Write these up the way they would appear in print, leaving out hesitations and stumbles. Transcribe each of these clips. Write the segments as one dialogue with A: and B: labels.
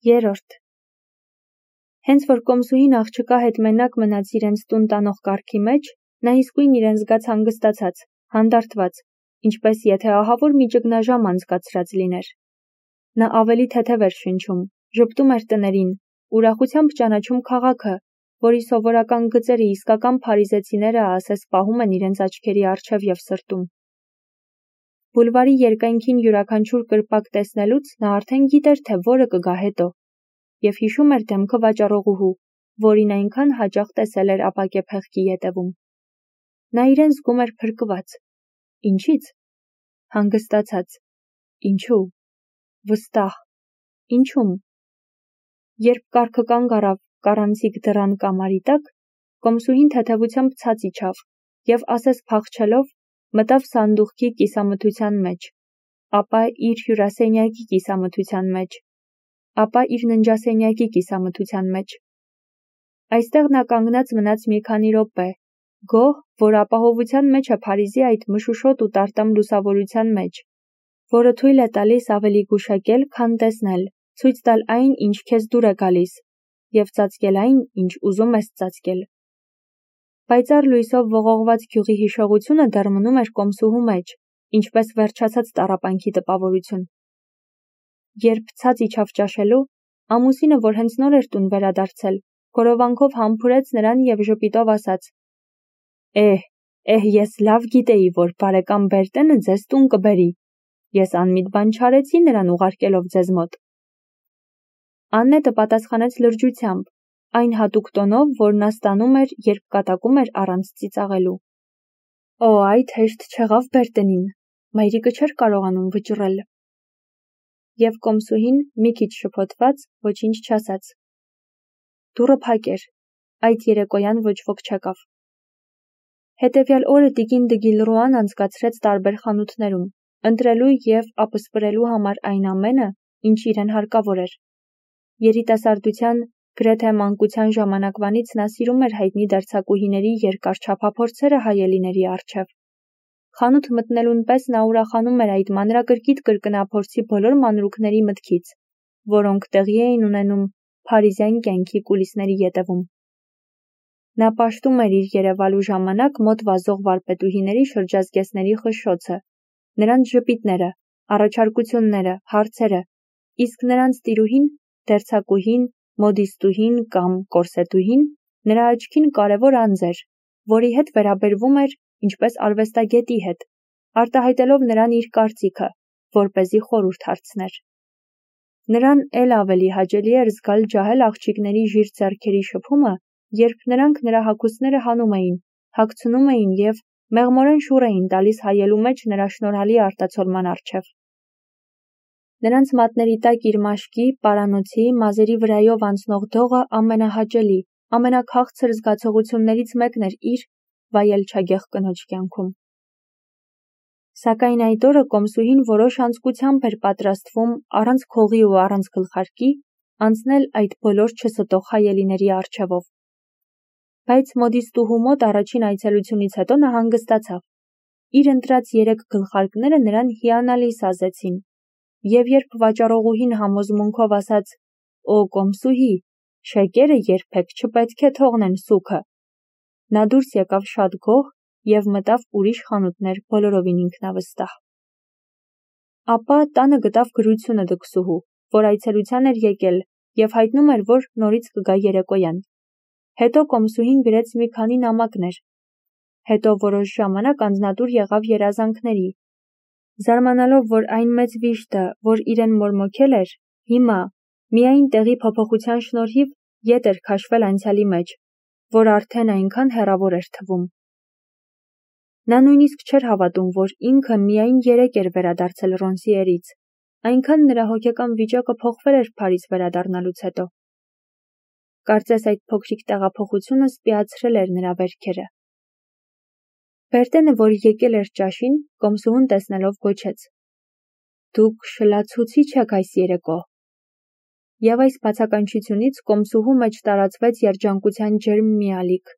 A: Երրորդ. Հենց որ կոմսուհին աղջկա հետ մենակ մնաց իրենց տուն տանող կարգի մեջ, նա իսկույն իրեն զգաց հանգստացած, հանդարտված, ինչպես եթե ահավոր մի ճգնաժամ անցկացրած լիներ։ Նա ավելի թեթև էր շնչում, ժպտում էր տներին, ուրախությամբ ճանաչում քաղաքը, որի սովորական գծերը իսկական փարիզեցիները ասես պահում են իրենց աչքերի առջև և սրտում։ Բուլվարի երկայնքին յուրաքանչյուր կրպակ տեսնելուց նա արդեն գիտեր, թե որը կգա հետո, և հիշում էր դեմքը վաճառողուհու, որին այնքան հաճախ տեսել էր ապակե փեղկի ետևում։ Նա իրեն զգում էր փրկված։ Ինչի՞ց։ Հանգստացած։ Ինչու։ Վստահ։ Ինչու՞մ։ Երբ կառքը կանգ առավ կառանցիկ դռան կամարի տակ, կոմսուհին թեթևությամբ ցած իջավ և ասես փախչելով մտավ սանդուղքի կիսամթության մեջ, ապա իր հյուրասենյակի կիսամթության մեջ, ապա իր ննջասենյակի կիսամթության մեջ։ Այստեղ նա կանգնած մնաց մի քանի րոպե, գոհ, որ ապահովության մեջ է Փարիզի այդ մշուշոտ ու տարտամ լուսավորության մեջ, որը թույլ է տալիս ավելի գուշակել, քան տեսնել, ցույց տալ այն, ինչ քեզ դուր է գալիս, և ծածկել այն, ինչ ուզում ես ծածկել։ Պայծառ լույսով ողողված գյուղի հիշողությունը դեռ մնում էր կոմսուհու մեջ, ինչպես վերջացած տառապանքի տպավորություն։ Երբ ցած իջավ ճաշելու, ամուսինը, որ հենց նոր էր տուն վերադարձել, գորովանքով համբուրեց նրան և ժպիտով ասաց. ես լավ գիտեի, որ բարեկամ Բերտենը ձեզ տուն կբերի, ես անմիտ բան չարեցի նրան ուղարկելով ձեզ մոտ։ Աննետը պատասխանեց լրջությամբ, այն հատուկ տոնով, որ նա ստանում էր, երբ կատակում էր առանց ծիծաղելու։ Այդ հեշտ չեղավ Բերտենին, մայրիկը չէր կարողանում վճռել։ Եվ կոմսուհին, մի քիչ շփոթված, ոչինչ չասաց։ Դուռը փակ էր, այդ երեկոյան ոչ ոք չեկավ։ Հետևյալ օրը տիկին Դգիլռուան անցկացրեց տարբեր խանութներում, ընտրելու և ապսպրելու համար այն ամենը, ինչ իրեն հարկավոր էր։ Երիտասարդության, գրեթե մանկության ժամանակվանից նա սիրում էր հայտնի դերձակուհիների երկար չափափորձերը հայելիների առջև։ Խանութ մտնելուն պես նա ուրախանում էր այդ մանրակրկիտ կրկնափորձի բոլոր մանրուքների մտքից, որոնք տեղի էին ունենում փարիզյան կյանքի կուլիսների ետևում։ Նա պաշտում էր իր երևալու ժամանակ մոտ վազող վարպետուհիների շրջազգեստների խշշոցը, նրանց ժպիտները, առաջարկությունները, հարցերը, իսկ նրանց տիրուհին, դերձակուհին, մոդիստուհին կամ կորսետուհին նրա աչքին կարևոր անձ էր, որի հետ վերաբերվում էր ինչպես արվեստագետի հետ, արտահայտելով նրան իր կարծիքը, որպեսզի խորհուրդ հարցներ։ Նրան էլ ավելի հաճելի էր զգալ ջահել աղջիկների ժիրտ ձեռքերի շփումը, երբ նրանք նրա հագուստները հանում էին, հագցնում էին և մեղմորեն շուռ էին տալիս հայելու մեջ նրա շնորհալի արտացոլման առջև։ Նրանց մատների տակ իր մաշկի, պարանոցի, մազերի վրայով անցնող դողը ամենահաճելի, ամենաքաղցր զգացողություններից մեկն էր իր վայելչագեղ կնոջ կյանքում։ Սակայն այդ օրը կոմսուհին որոշ անձկությամբ էր պատրաստվում առանց քողի ու առանց գլխարկի անցնել այդ բոլոր չստող հայելիների առջևով։ Բայց մոդիստուհու մոտ առաջին այցելությունից հետո նա հանգստացավ։ Իր ընտրած 3 գլխարկները նրան հիանալի սազեցին, և երբ վաճառողուհին համոզմունքով ասաց. կոմսուհի, շեկերը երբեք չպետք է թողնեն սուգը, նա դուրս եկավ շատ գոհ և մտավ ուրիշ խանութներ բոլորովին ինքնավստահ։ Ապա տանը գտավ գրությունը դքսուհու, որ այցելության էր եկել և հայտնում էր, որ նորից կգա երեկոյան։ Հետո կոմսուհին գրեց մի քանի նամակներ։ Հետո որոշ ժամանակ անձնատուր եղավ երազանքների։ Զարմանալով, որ այն մեծ վիշտը, որ իրեն մորմոքել էր, հիմա, միայն տեղի փոփոխության շնորհիվ, ետ էր քաշվել անցյալի մեջ, որ արդեն այնքան հեռավոր էր թվում։ Նա նույնիսկ չէր հավատում, որ ինքը միայն 3 էր վերադարձել Ռոնսիերից, այնքան նրա հոգեկան վիճակը փոխվել էր Փարիզ վերադառնալուց հետո։ Կարծես այդ փոքրիկ տեղափոխությունը սպիացրել էր նրա վերքերը։ Բերտենը, որ եկել էր ճաշին, կոմսուհուն տեսնելով գոչեց. «Դուք շլացուցիչ եք այս երեկո»։ Եվ այս բացականչությունից կոմսուհու մեջ տարածվեց երջանկության ջերմ մի ալիք։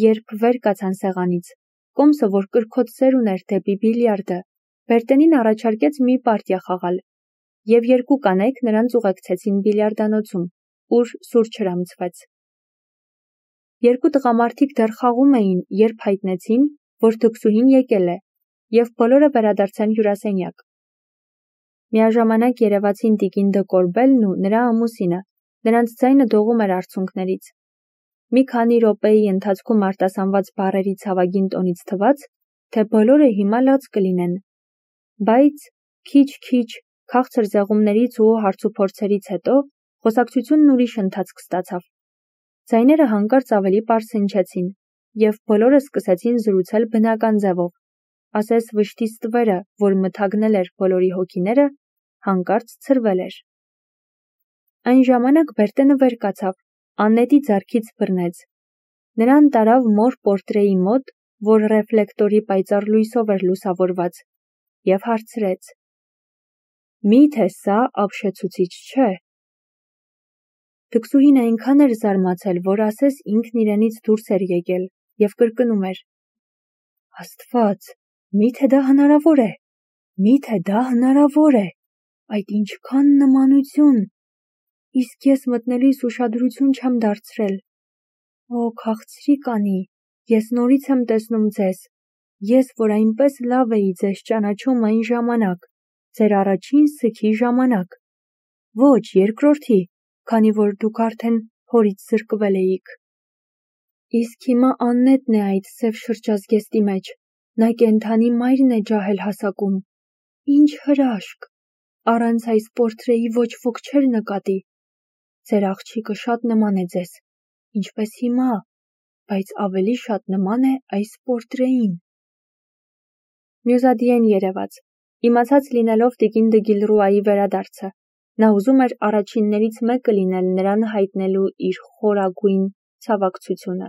A: Երբ վեր կացան սեղանից, կոմսը, որ կրքոտ սեր ուներ դեպի բիլիարդը, Բերտենին առաջարկեց մի պարտիա խաղալ, և երկու կանայք նրանց ուղեկցեցին բիլիարդանոցում, ուր սուրճ հրամցվեց։ Երկու տղամարդիկ դեռ խաղում էին, երբ հայտնեցին, որ թքսուհին եկել է, և բոլորը վերադարձան հյուրասենյակ։ Միաժամանակ երևացին տիկին Դը Կորբելն ու նրա ամուսինը, նրանց ձայնը դողում էր արցունքներից։ Մի քանի րոպեի ընթացքում արտասանված բառերի ցավագին տոնից թվաց, թե բոլորը հիմա լաց կլինեն։ Բայց քիչ-քիչ քաղցր զեղումներից ու հարցուփորձերից հետո խոսակցությունն ուրիշ ընթացք ստացավ։ Ձայները հանկարծ ավելի պարզ հնչեցին, և բոլորը սկսեցին զրուցել բնական ձևով, ասես վշտի ստվերը, որ մթագնել էր բոլորի հոգիները, հանկարծ ցրվել էր։ Այն ժամանակ Բերտենը վեր կացավ, Աննետի ձեռքից բռնեց։ Նրան տարավ մոր պորտրեի մոտ, որ ռեֆլեկտորի պայծառ լույսով էր լուսավորված, և հարցրեց. «Մի՞թե սա ապշեցուցիչ չէ»։ Թքսուհին այնքան էր զարմացել, որ ասես ինքն իրենից դուրս էր եկել և կրկնում էր. «Աստված, մի՞թե դա հնարավոր է, մի՞թե դա հնարավոր է, այդ ինչքան նմանություն, իսկ ես մտնելիս ուշադրություն չեմ դարձրել։ Օ, քաղցրիկ անի, ես նորից եմ տեսնում ձեզ, ես, որ այնպես լավ էի ձեզ ճանաչում այն ժամանակ, ձեր առաջին սգի ժամանակ, ոչ երկրորդի, քանի որ դուք արդեն հորից զրկվել էիք։ Իսկ հիմա Աննետն է այդ սև շրջազգեստի մեջ, նա կենդանի մայրն է ջահել հասակում։ Ինչ հրաշք, առանց այս պորտրեի ոչ ոք չէր նկատի։ Ձեր աղջիկը շատ նման է ձեզ, ինչպես հիմա, բայց ավելի շատ նման է այս պորտրեին»։ Մյուզադիեն երևաց, իմացած լինելով տիկին Դը Գիլռուայի վերադարձը, նա ուզում էր առաջիններից մեկը լինել նրան հայտնելու իր խորագույն ցավակցությունը։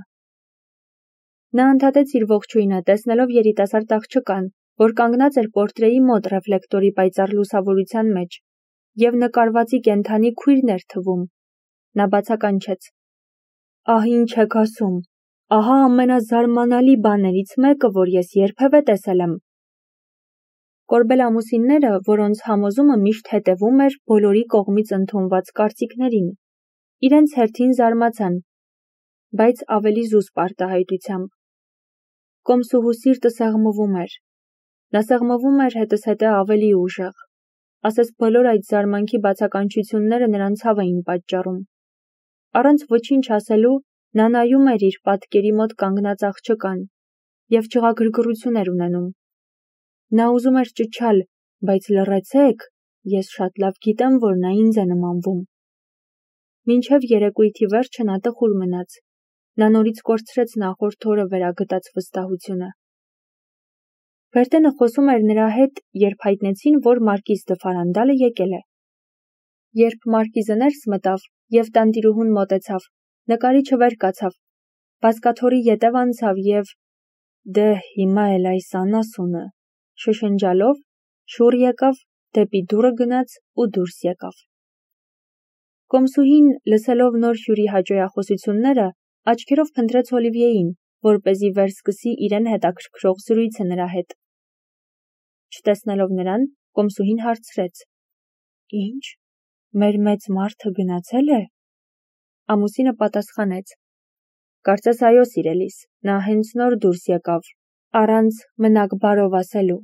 A: Նա ընդհատեց իր ողջույնը, տեսնելով երիտասարդ աղջկան, որ կանգնած էր պորտրեի մոտ ռեֆլեկտորի պայծառ լուսավորության մեջ, և նկարվածի կենդանի քույրն էր թվում։ Նա բացականչեց. «Ահ, ինչ եք ասում, ահա ամենազարմանալի բաներից մեկը, որ ես երբևէ տեսել եմ»։ Կորբել ամուսինները, որոնց համոզումը միշտ հետևում էր բոլորի կողմից ընդունված կարծիքներին, իրենց հերթին զարմացան, բայց ավելի զուսպ արտահայտությամբ։ Կոմսուհու սիրտը սեղմվում էր։ Նա սեղմվում էր հետզհետե ավելի ուժեղ, ասես բոլոր այդ զարմանքի բացականչությունները նրան ցավ էին պատճառում։ Առանց ոչինչ ասելու նա նայում էր իր պատկերի մոտ կանգնած աղջկան և ջղագրգռություն էր ունենում։ Նա ուզում էր ճչալ, բայց լռեցեք, ես շատ լավ գիտեմ, որ նա ինձ է նմանվում։ Մինչև երեկույթի վերջը նա տխուր մնաց։ Նա նորից կորցրեց նախորդ օրը վերագտած վստահությունը։ Բերտենը խոսում էր նրա հետ, երբ հայտնեցին, որ Մարկիզ դը Ֆարանդալը եկել է։ Երբ Մարկիզը ներս մտավ և տանտիրուհուն մոտեցավ, նկարիչը վեր կացավ, բազկաթոռի ետև անցավ և «Դե հիմա էլ այս անասունը» շշնջալով շուռ եկավ, դեպի դուռը գնաց ու դուրս եկավ։ Կոմսուհին, լսելով նոր հյուրի հաճոյախոսությունները, աչքերով փնտրեց Օլիվիեին, որպեսզի վերսկսի իրեն հետաքրքրող զրույցը նրա հետ։ Չտեսնելով նրան, կոմսուհին հարցրեց. «Ինչ, մեր մեծ մարդը գնացել է»։ Ամուսինը պատասխանեց. «Կարծես այո, սիրելիս, նա հենց նոր դուրս եկավ, առանց մնաք բարով ասելու»։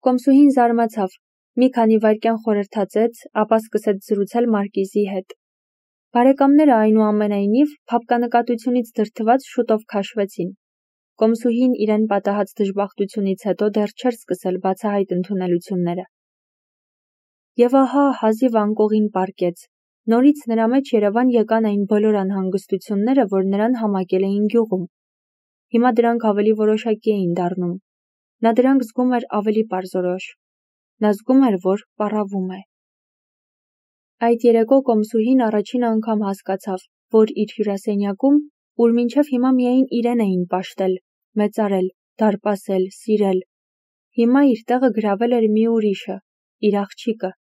A: Կոմսուհին զարմացավ, մի քանի վայրկյան խորհրդածեց, ապա սկսեց զրուցել Մարկիզի հետ։ Բարեկամները այնուամենայնիվ փափկանկատությունից դրդված շուտով քաշվեցին։ Կոմսուհին իրեն պատահած դժբախտությունից հետո դեռ չէր սկսել բացահայտ ընդունելությունները։ Եվ ահա հազիվ անկողին պառկեց։ Նորից նրա մեջ Երևան եկան այն բոլոր անհանգստությունները, որ նրան համակել էին գյուղում։ Հիմա դրանք ավելի որոշակի էին դառնում։ Նա դրանք զգում էր ավելի պարզորոշ։ Նա զգում էր, որ պառավում է։ Այդ երեկո կոմսուհին առաջին անգամ հասկացավ, որ իր հյուրասենյակում, ուր մինչև հիմա միայն իրեն էին պաշտել, մեծարել, դարպասել, սիրել, հիմա իր տեղը գրավել էր մի ուրիշը, իր աղջիկը։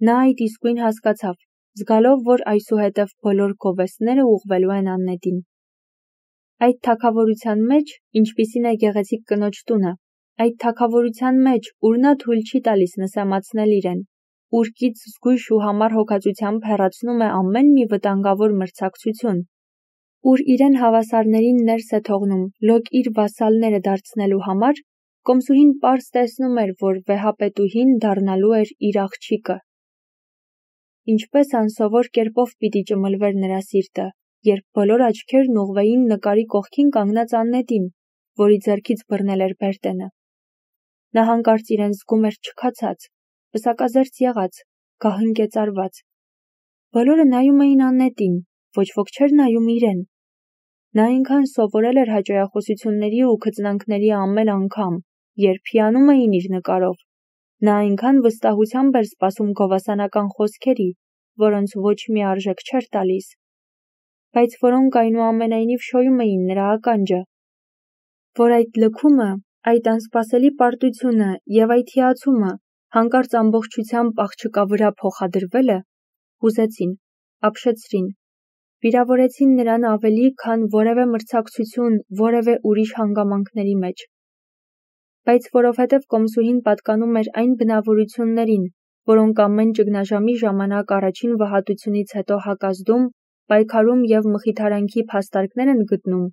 A: Նա այդ իսկույն հասկացավ, զգալով, որ այսուհետև բոլոր գովեստները ուղղվելու են Աննետին։ Այդ թագավորության մեջ, ինչպիսին է գեղեցիկ կնոջ տունը, Այդ թագավորության մեջ, ուր նա թույլ չի տալիս նսեմացնել իրեն, ուր կից զգույշ ու համառ հոգացությամբ հեռացնում է ամեն մի վտանգավոր մրցակցություն, ուր իրեն հավասարներին ներս է թողնում լոկ իր վասալները դարձնելու համար, Կոմսուհին պարզ տեսնում էր, որ վեհապետուհին դառնալու էր իր աղջիկը։ Ինչպես անսովոր կերպով պիտի ճմլվեր նրա սիրտը, երբ բոլոր աչքերն ուղղվեին նկարի կողքին կանգնած Աննետին, որի ձեռքից բռնել էր Բերտենը։ Նա հանկարծ իրեն զգում էր չքացած, պսակազերծ եղած, գահընկեծարված։ Բոլորը նայում էին Աննետին, ոչ ոք չէր նայում իրեն։ Նա այնքան սովորել էր հաճոյախոսությունների ու քծնանքների ամեն անգամ, երբ հիանում էին իր նկարով, նա այնքան վստահությամբ էր սպասում գովասանական խոսքերի, որոնց ոչ մի արժեք չէր տալիս, բայց որոնք այնուամենայնիվ շոյում էին նրա ականջը, որ այդ լքումը, այդ անսպասելի պարտությունը և այդ հիացումը հանկարծ ամբողջությամբ աղջկա վրա փոխադրվելը հուզեցին, ապշեցրին, վիրավորեցին նրան ավելի, քան որևէ մրցակցություն, որևէ ուրիշ հանգամանքների մեջ։ Բայց որովհետև Կոմսուհին պատկանում էր այն բնավորություններին, որոնք ամեն ճգնաժամի ժամանակ առաջին վհատությունից հետո հակազդում, պայքարում և մխիթարանքի փաստարկներ են գտնում,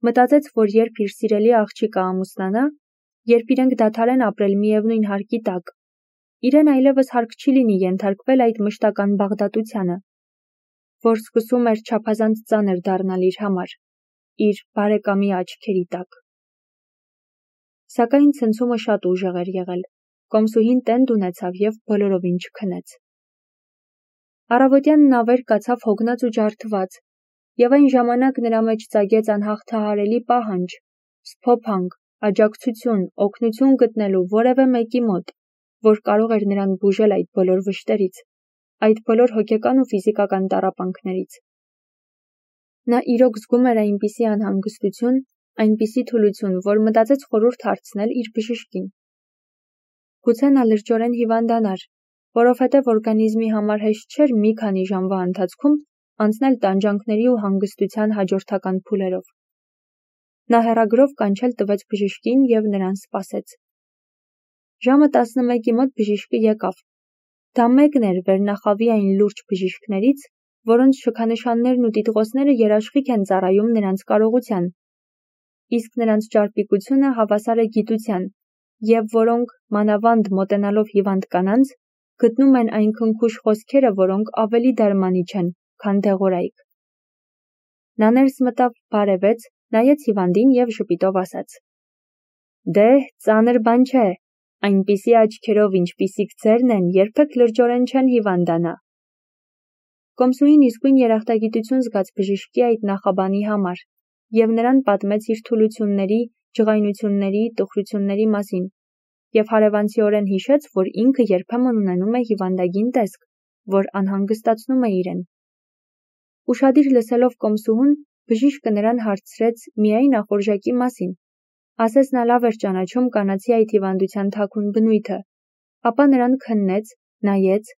A: մտածեց, որ երբ իր սիրելի աղջիկը ամուսնանա, երբ իրենք դադարեն ապրել միևնույն հարկի տակ, իրեն այլևս հարկ չի լինի ենթարկվել այդ մշտական բաղդատությանը, որ սկսում էր չափազանց ծանր դառնալ իր համար, իր բարեկամի աչքերի տակ։ Սակայն ցնցումը շատ ուժեղ էր եղել, Կոմսուհին տենդ ունեցավ և բոլորովին չքնեց։ Առավոտյան նա վեր կացավ հոգնած ու ջարդված, և այն ժամանակ նրա մեջ ծագեց անհաղթահարելի պահանջ, սփոփանք, աջակցություն, օգնություն գտնելու որևէ մեկի մոտ, որ կարող էր նրան բուժել այդ բոլոր վշտերից, այդ բոլոր հոգեկան ու ֆիզիկական տառապանքներից։ Նա իրոք զգում էր այնպիսի անհանգստություն, այնպիսի թուլություն, որ մտածեց խորհուրդ հարցնել իր բժշկին։ Գուցե նա լրջորեն հիվանդանար, որովհետև օրգանիզմի համար հեշտ չէր մի քանի ժամվա ընթացքում անցնել տանջանքների ու հանգստության հաջորդական փուլերով։ Նա հեռագրով կանչել տվեց բժշկին և նրան սպասեց։ Ժամը 11-ի մոտ բժիշկը եկավ։ Դա մեկն էր վերնախավի այն լուրջ բժիշկներից, որոնց շքանշաններն ու տիտղոսները երաշխիք են ծառայում նրանց կարողության, իսկ նրանց ճարպիկությունը հավասար է գիտության, և որոնք, մանավանդ մոտենալով հիվանդ կանանց, գտնում են այն քնքուշ խոսքերը, որոնք ավելի դարմանիչ են, քան դեղորայք։ Նա ներս մտավ, բարևեց, նայեց հիվանդին և ժպիտով ասաց. «Դե, ծանր բան չէ, այնպիսի աչքերով, ինչպիսիք ձերն են, երբեք լրջորեն չեն հիվանդանա»։ Կոմսուհին իսկույն երախտագիտություն զգաց բժշկի այդ նախաբանի համար և նրան պատմեց իր թուլությունների, ջղայնությունների, տխրությունների մասին և հարևանցիորեն հիշեց, որ ինքը երբեմն ունենում է հիվանդագին տեսք, որ անհանգստացնում է իրեն։ Ուշադիր լսելով Կոմսուհուն, բժիշկը նրան հարցրեց միայն ախորժակի մասին, ասես նա լավ էր ճանաչում կանացի այդ հիվանդության թաքուն բնույթը, ապա նրան քննեց, նայեց,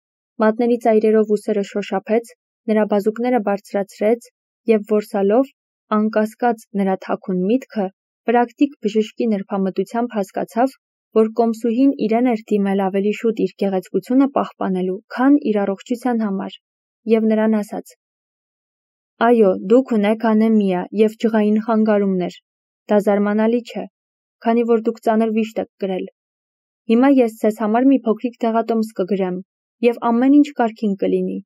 A: մատների ծայրերով ուսերը շոշափեց, նրա բազուկները բարձրացրեց և որսալով, անկասկած նրա թաքուն միտքը, պրակտիկ բժշկի նրբամտությամբ հասկացավ, որ Կոմսուհին իրեն էր դիմել ավելի շուտ իր գեղեցկությունը պահպանելու, քան իր առողջության համար, և նրան ասաց. «Այո, դուք ունեք անեմիա և ջղային խանգարումներ, դա զարմանալի չէ, քանի որ դուք ծանր վիշտ եք կրել։ Հիմա ես ձեզ համար մի փոքրիկ դեղատոմս կգրեմ, և ամեն ինչ կարգին կլինի,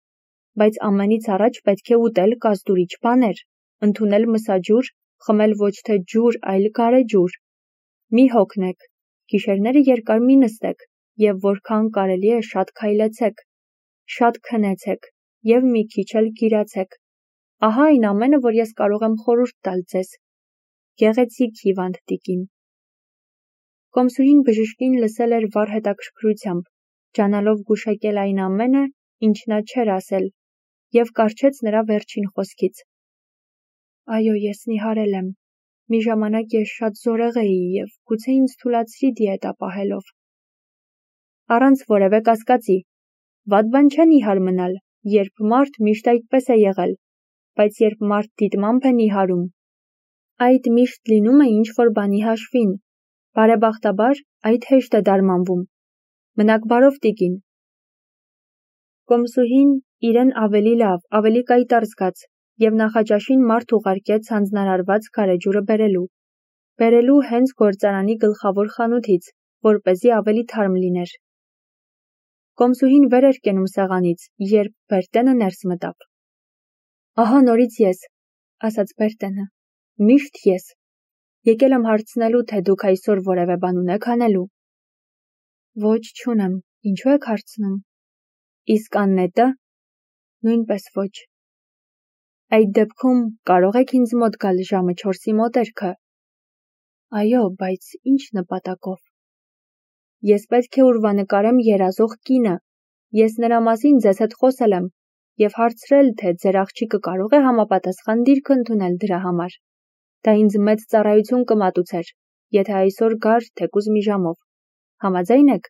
A: բայց ամենից առաջ պետք է ուտել կազդուրիչ բաներ, ընդունել մսաջուր, խմել ոչ թե ջուր, այլ գարեջուր։ Մի հոգնեք, գիշերները երկար մի նստեք և որքան կարելի է շատ քայլեցեք, շատ քնեցեք և մի քիչ էլ գիրացեք։ Ահա այն ամենը, որ ես կարող եմ խորհուրդ տալ ձեզ։ Գեղեցիկ հիվանդ տիկին»։ Կոմսուհին բժշկին լսել էր վառ հետաքրքրությամբ, ջանալով գուշակել այն ամենը, ինչ նա չէր ասել, և կառչեց նրա վերջին խոսքից. «Այո, ես նիհարել եմ։ Մի ժամանակ ես շատ զորեղ էի և գուցե ինձ թուլացրի դիետա պահելով»։ Առանց որևէ կասկածի։ Վատ բան չէ նիհար մնալ, երբ մարդ միշտ այդպես է եղել, բայց երբ մարդ դիտմամբ է նիհարում, այդ միշտ լինում է ինչ-որ բանի հաշվին, Բարեբախտաբար, այդ հեշտ է դարմանվում։ Մնաք բարով, տիկին։ Կոմսուհին իրեն ավելի լավ, ավելի կայտառ զգաց և նախաճաշին մարդ ուղարկեց հանձնարարված գարեջուրը բերելու հենց գործարանի գլխավոր խանութից, որպեսզի ավելի թարմ լիներ։ Կոմսուհին վեր էր կենում սեղանից, երբ Բերտենը ներս մտավ։ Ահա նորից ես, ասաց Բերտենը, միշտ ես։ Եկել եմ հարցնելու, թե դուք այսօր որևէ բան ունեք անելու։ Ոչ, չունեմ, ինչու եք հարցնում։ Իսկ Աննետը։ Նույնպես ոչ։ Այդ դեպքում կարող եք ինձ մոտ գալ ժամը 4-ի մոտերքը։ Այո, բայց ինչ նպատակով։ Ես պետք է ուրվանկարեմ երազող կինը։ Ես նրա մասին ձեզ հետ խոսել եմ և հարցրել, թե ձեր աղջիկը կարող է համապատասխան դիրք ընդունել դրա համար։ Դա ինձ մեծ ծառայություն կմատուցեր, եթե այսօր գար թեկուզ մի ժամով։ Համաձայն եք։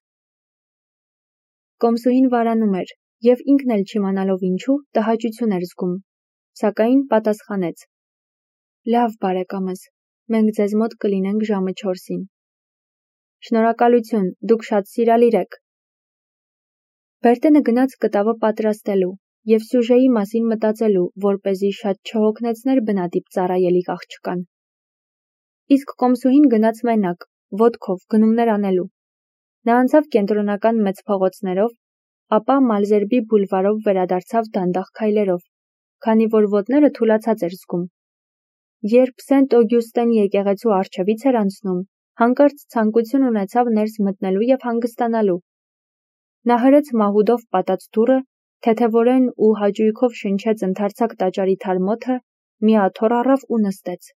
A: Կոմսուհին վարանում էր և ինքն էլ չիմանալով ինչու տհաճություն էր զգում, սակայն պատասխանեց. Լավ, բարեկամս, մենք ձեզ մոտ կլինենք ժամը 4-ին։ Շնորհակալություն, դուք շատ սիրալիր եք։ Բերտենը գնաց կտավը պատրաստելու և սյուժեի մասին մտածելու, որպեսզի շատ չհոգնեցներ բնատիպ ծառայելիք աղջկան։ Իսկ Կոմսուհին գնաց մենակ, ոտքով գնումներ անելու։ Նա անցավ կենտրոնական մեծ փողոցներով, ապա Մալզերբի բուլվարով վերադարձավ դանդաղ քայլերով, քանի որ ոտները թուլացած էր զգում։ Երբ Սենտ Օգյուստեն եկեղեցու առջևից էր անցնում, հանկարծ ցանկություն ունեցավ ներս մտնելու և հանգստանալու։ Նա հրեց մահուդով պատած դուռը, թեթևորեն ու հաճույքով շնչեց ընդարձակ տաճարի թարմոթը, մի աթոռ առավ ու նստեց։